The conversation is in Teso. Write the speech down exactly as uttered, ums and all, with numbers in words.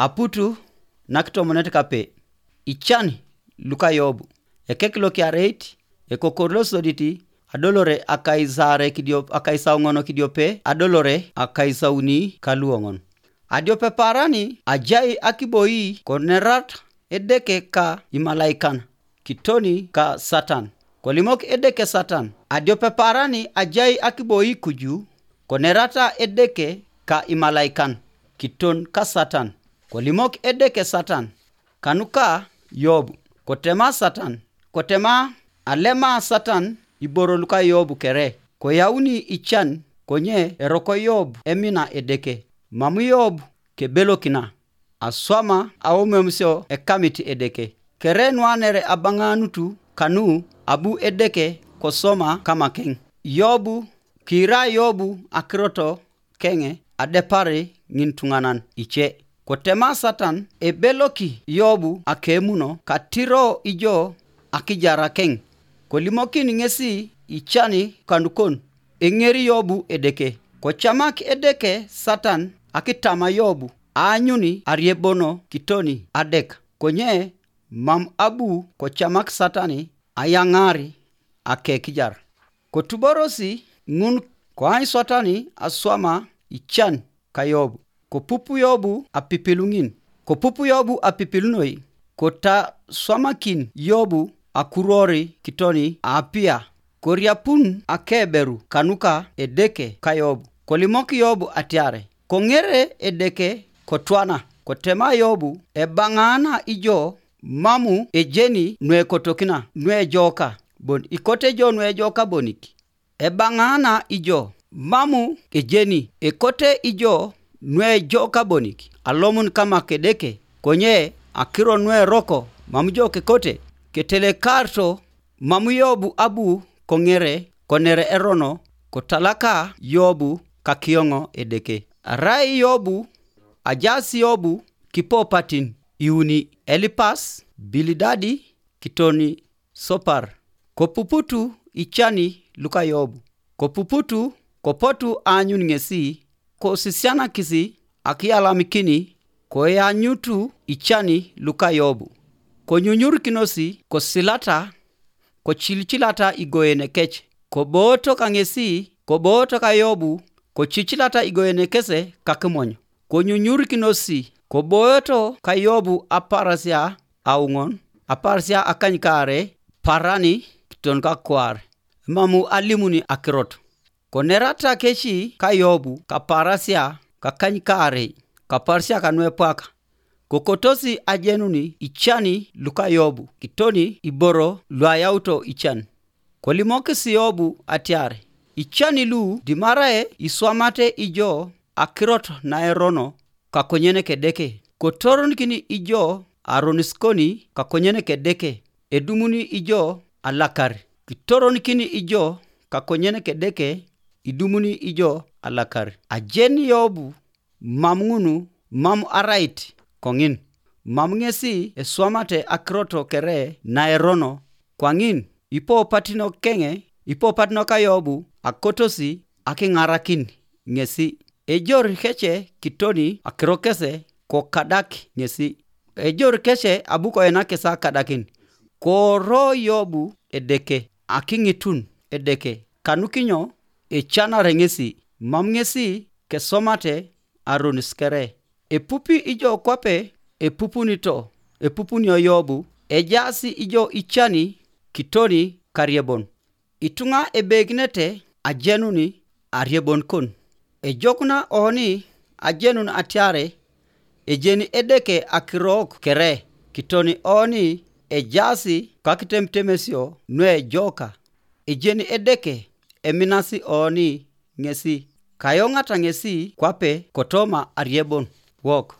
Aputu nakitomonet kape. Ican luka Yobu. Ekek lokiareit, ekokor losodit, adolore akaisaare kidiop, akaisauŋon kidiope, adolore akaisauni kaluoŋon. Adiope paarani ajai akiboi konerat Edeke ka imalaikan, kitoni ka Satan. Kolimok Edeke Satan, adiope paarani ajai akiboi kuju, konerata Edeke ka imalaikan, kiton ka Satan. Kolimok Edeke Satan, kanuka Yobu, kotema Satan, kotema alema Satan iboro luka Yobu kere, koyauni ican, konye eroko Yobu emina Edeke, mam Yobu kebelokina, aswama aomiomsio ekamit Edeke. Kere nuanere abaŋanutu kanu abu Edeke kosoma kamakeŋ. Yobu, kiira Yobu akiroto keŋe adepari ŋintuŋanan ice. Kotema Satan ebeloki Yobu akemuno katiro ijo akijarakeŋ. Kolimokin ŋesi icani kanukon, eŋeri Yobu Edeke. Kocamak Edeke Satan akitama Yobu, aanyuni ariebono kitoni adek. Konye mam abu kocamak Satani ayaŋari akekijar. Kotuborosi ŋun koany Satani aswama ican ka Yobu. Kopupu Yobu apipilu ŋin. Kopupu Yobu apipilu noi, kotaswamakin Yobu akuruori kitoni aapia. Koriapun akeberu kanuka Edeke ka Yobu. Kolimok Yobu atiare, koŋere Edeke kotwana, kotema Yobu, ebaŋaana ijo mamu ejeni nuekotokina nuejoka bon, ikote jo nuejoka bonik. Ebaŋaana ijo mamu ejeni ekote ijo nuejoka bonik, alomun kama kedeke, konye akiro nueroko mam jo kekote, ketelekarto mam Yobu abu koŋere konere erono, kotalaka Yobu kakioŋo Edeke. Arai Yobu, ajaas Yobu kipopatin iuni, Elipas, Bilidadi, kitoni Sopar. Kopuputu icani luka Yobu. Kopuputu, kopotu aanyun ŋesi, kosisianakisi akiyalamikini, koyanyutu icani luka Yobu. Konyunyurikinosi kosilata, kocilicilata igoenekec. Kobooto kaŋesi, kobooto ka Yobu, kocicilata igoenekese kakimony. Konyunyurikinosi, kobooto ka Yobu aparasia auŋon, aparasia akanykaare, parani kiton kakwaar, mamu alimuni akirot. Konerata keci ka Yobu kaparasia kakanykaarei, kaparasia kanuepwaka, kokotosi ajenuni icani luka Yobu kitoni iboro luayauto ican. Kolimokis Yobu atiar, icani lu dimarae iswamate ijo akirot naerono kakonyen kedeke, kotoronkin ijo aroniskoni kakonyen kedeke, edumuni ijo alakar, kitoronikin ijo kakonyen kedeke, idumuni ijo alakar. Ajen Yobu mam ŋunu mam arait koŋin, mam ŋesi eswamate akirot kere naerono, kwaŋin ipopatino keŋe, ipopatino ka Yobu akotosi akiŋarakin ŋesi. Ejor kece kitoni akiro kese kokadak ŋesi. Ejor kece abu koenakis akadakin. Koro Yobu Edeke, akiŋitun Edeke, kanukinyo ecanare ŋesi, mam ŋesi kesomate aronis kere. Epupi ijo kwape epupunito, epupunio Yobu, ejaasi ijo icani kitoni kariebon. Ituŋa ebeginete ajenuni ariebon kon. Ejokuna oni ajenun atiare ejeni Edeke akirok kere, kitoni oni ejaasi kakitemutemesio nuejoka. Ejeni Edeke eminasi oni ŋesi, kayoŋata ŋesi kwape kotoma ariebon wok.